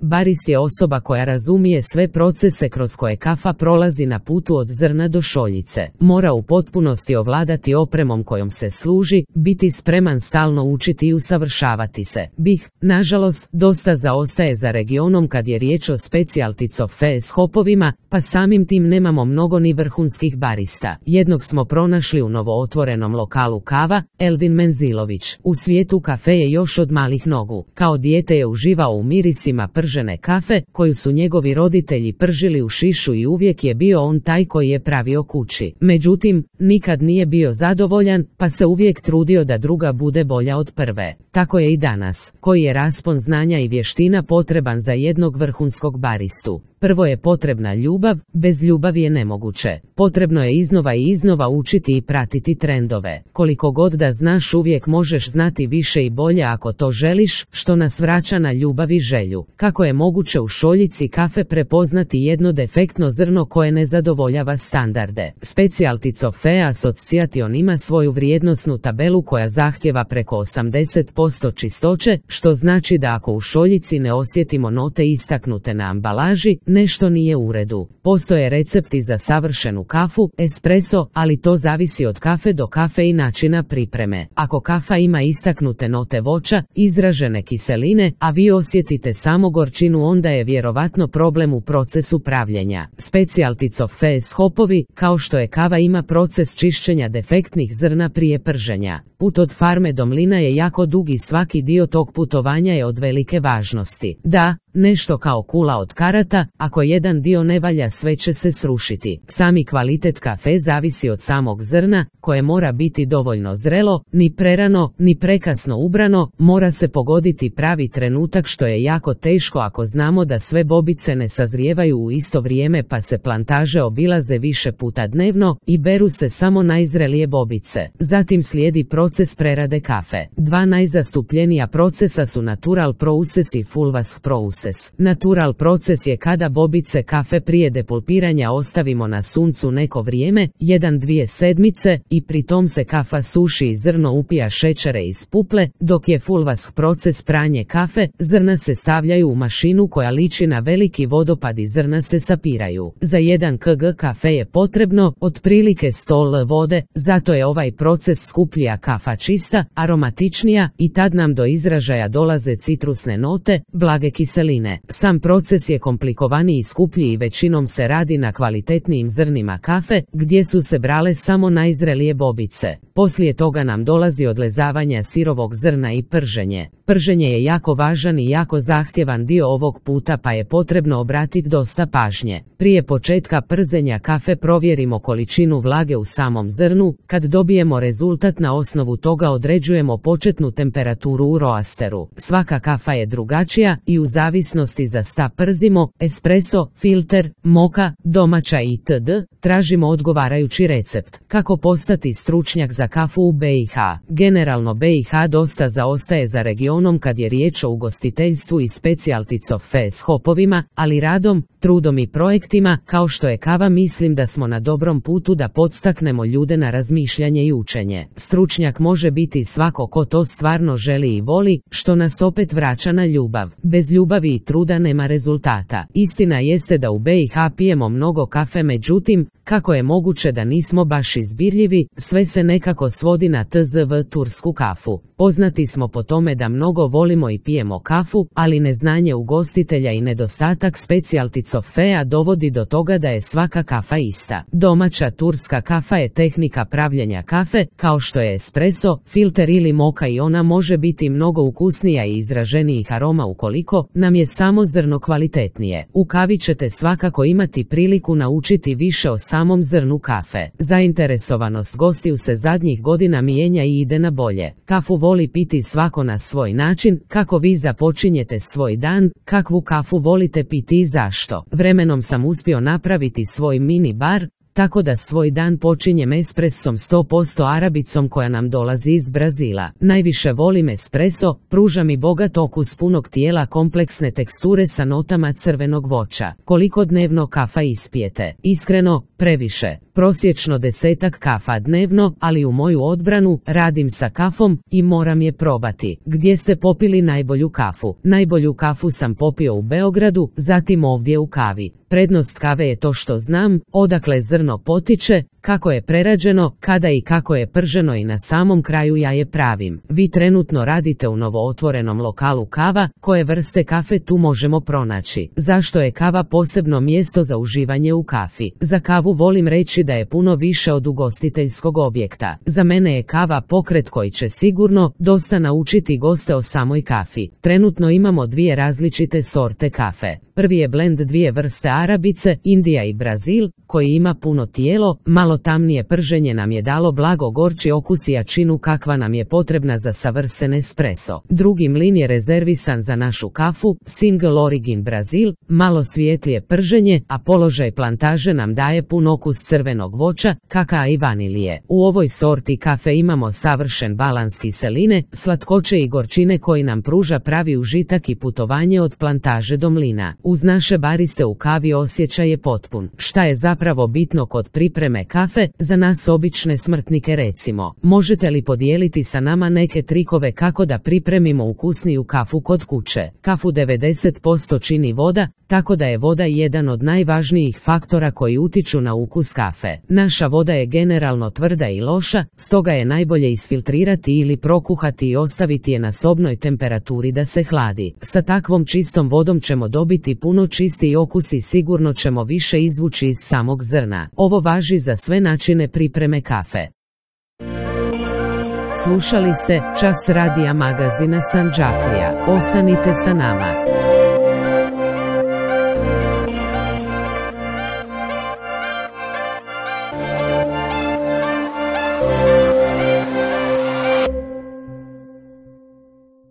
Barist je osoba koja razumije sve procese kroz koje kafa prolazi na putu od zrna do šoljice. Mora u potpunosti ovladati opremom kojom se služi, biti spreman stalno učiti i usavršavati se. BiH, nažalost, dosta zaostaje za regionom kad je riječ o specialty coffee s hopovima, pa samim tim nemamo mnogo ni vrhunskih barista. Jednog smo pronašli u novootvorenom lokalu Kava, Eldin Menzilović. U svijetu kafe je još od malih nogu. Kao dijete je uživao u mirisima pržene kafe, koju su njegovi roditelji pržili u šišu i uvijek je bio on taj koji je pravio kući. Međutim, nikad nije bio zadovoljan, pa se uvijek trudio da druga bude bolja od prve. Tako je i danas. Koji je raspon znanja i vještina potreban za jednog vrhunskog baristu? Prvo je potrebna ljubav, bez ljubavi je nemoguće. Potrebno je iznova i iznova učiti i pratiti trendove. Koliko god da znaš, uvijek možeš znati više i bolje ako to želiš, što nas vraća na ljubav i želju. Kako je moguće u šoljici kafe prepoznati jedno defektno zrno koje ne zadovoljava standarde? Specialty Coffee Association ima svoju vrijednosnu tabelu koja zahtjeva preko 80% čistoće, što znači da ako u šoljici ne osjetimo note istaknute na ambalaži, nešto nije u redu. Postoje recepti za savršenu kafu, espresso, ali to zavisi od kafe do kafe i načina pripreme. Ako kafa ima istaknute note voća, izražene kiseline, a vi osjetite samo gorčinu, onda je vjerovatno problem u procesu pravljenja. Specialty coffee s hopovi, kao što je kava, ima proces čišćenja defektnih zrna prije prženja. Put od farme do mlina je jako dug i svaki dio tog putovanja je od velike važnosti. Da, nešto kao kula od karata, ako jedan dio ne valja, sve će se srušiti. Sami kvalitet kafe zavisi od samog zrna, koje mora biti dovoljno zrelo, ni prerano, ni prekasno ubrano, mora se pogoditi pravi trenutak, što je jako teško ako znamo da sve bobice ne sazrijevaju u isto vrijeme, pa se plantaže obilaze više puta dnevno i beru se samo najzrelije bobice. Zatim slijedi proces prerade kafe. Dva najzastupljenija procesa su natural process i full wash process. Natural proces je kada bobice kafe prije depulpiranja ostavimo na suncu neko vrijeme, 1-2 sedmice, i pri tom se kafa suši i zrno upija šećere iz puple, dok je full wash proces pranje kafe, zrna se stavljaju u mašinu koja liči na veliki vodopad i zrna se sapiraju. Za 1 kg kafe je potrebno otprilike 100 l vode, zato je ovaj proces skuplji, a kafa čista, aromatičnija, i tad nam do izražaja dolaze citrusne note, blage kiseline. Sam proces je komplikovaniji i skuplji i većinom se radi na kvalitetnijim zrnima kafe, gdje su se brale samo najzrelije bobice. Poslije toga nam dolazi odlezavanje sirovog zrna i prženje. Prženje je jako važan i jako zahtjevan dio ovog puta, pa je potrebno obratiti dosta pažnje. Prije početka przenja kafe provjerimo količinu vlage u samom zrnu. Kad dobijemo rezultat, na osnovu toga određujemo početnu temperaturu u roasteru. Svaka kafa je drugačija i u zavisnosti za šta przimo, espresso, filter, moka, domaća itd., tražimo odgovarajući recept. Kako postati stručnjak za kafu u BiH? Generalno BiH dosta zaostaje za regionom kad je riječ o ugostiteljstvu i specialty coffee s hopovima, ali radom, trudom i projektima, kao što je kava, mislim da smo na dobrom putu da podstaknemo ljude na razmišljanje i učenje. Stručnjak može biti svako ko to stvarno želi i voli, što nas opet vraća na ljubav. Bez ljubavi i truda nema rezultata. Istina jeste da u BiH pijemo mnogo kafe, međutim, kako je moguće da nismo baš izbirljivi? Sve se nekako svodi na tzv. tursku kafu. Poznati smo po tome da mnogo volimo i pijemo kafu, ali neznanje ugostitelja i nedostatak specialty coffea dovodi do toga da je svaka kafa ista. Domaća turska kafa je tehnika pravljenja kafe, kao što je espresso, filter ili moka, i ona može biti mnogo ukusnija i izraženijih aroma ukoliko nam je samo zrno kvalitetnije. U kavi ćete svakako imati priliku naučiti više o samom zrnu kafe. Zainteresovanost gostiju se zadnjih godina mijenja i ide na bolje. Kafu voli piti svako na svoj način. Kako vi započinjete svoj dan? Kakvu kafu volite piti i zašto? Vremenom sam uspio napraviti svoj mini bar, tako da svoj dan počinjem espressom 100% arabicom koja nam dolazi iz Brazila. Najviše volim espresso, pruža mi bogat okus punog tijela, kompleksne teksture sa notama crvenog voća. Koliko dnevno kafa ispijete? Iskreno, previše. prosječno 10 kafa dnevno, ali u moju odbranu radim sa kafom i moram je probati. Gdje ste popili najbolju kafu? Najbolju kafu sam popio u Beogradu, zatim ovdje u Kavi. Prednost kave je to što znam odakle zrno potiče, kako je prerađeno, kada i kako je prženo i na samom kraju ja je pravim. Vi trenutno radite u novootvorenom lokalu Kava, koje vrste kafe tu možemo pronaći? Zašto je kava posebno mjesto za uživanje u kafi? Za kavu volim reći da je puno više od ugostiteljskog objekta. Za mene je kava pokret koji će sigurno dosta naučiti goste o samoj kafi. Trenutno imamo dvije različite sorte kafe. Prvi je blend dvije vrste arabice, Indija i Brazil, koji ima puno tijelo, malo tamnije prženje nam je dalo blago gorči okus i jačinu kakva nam je potrebna za savršen espresso. Drugi mlin je rezervisan za našu kafu, Single Origin Brazil, malo svjetlije prženje, a položaj plantaže nam daje pun okus crvenog voća, kakaa i vanilije. U ovoj sorti kafe imamo savršen balans kiseline, slatkoće i gorčine koji nam pruža pravi užitak i putovanje od plantaže do mlina. Uz naše bariste u Kavi osjećaj je potpun. Šta je zapravo bitno kod pripreme kafe, za nas obične smrtnike recimo? Možete li podijeliti sa nama neke trikove kako da pripremimo ukusniju kafu kod kuće? Kafu 90% čini voda, tako da je voda jedan od najvažnijih faktora koji utiču na ukus kafe. Naša voda je generalno tvrda i loša, stoga je najbolje isfiltrirati ili prokuhati i ostaviti je na sobnoj temperaturi da se hladi. Sa takvom čistom vodom ćemo dobiti puno čistiji okus i sigurno ćemo više izvući iz samog zrna. Ovo važi za sve načine pripreme kafe. Slušali ste Čas radija magazina Sandžaklija. Ostanite sa nama.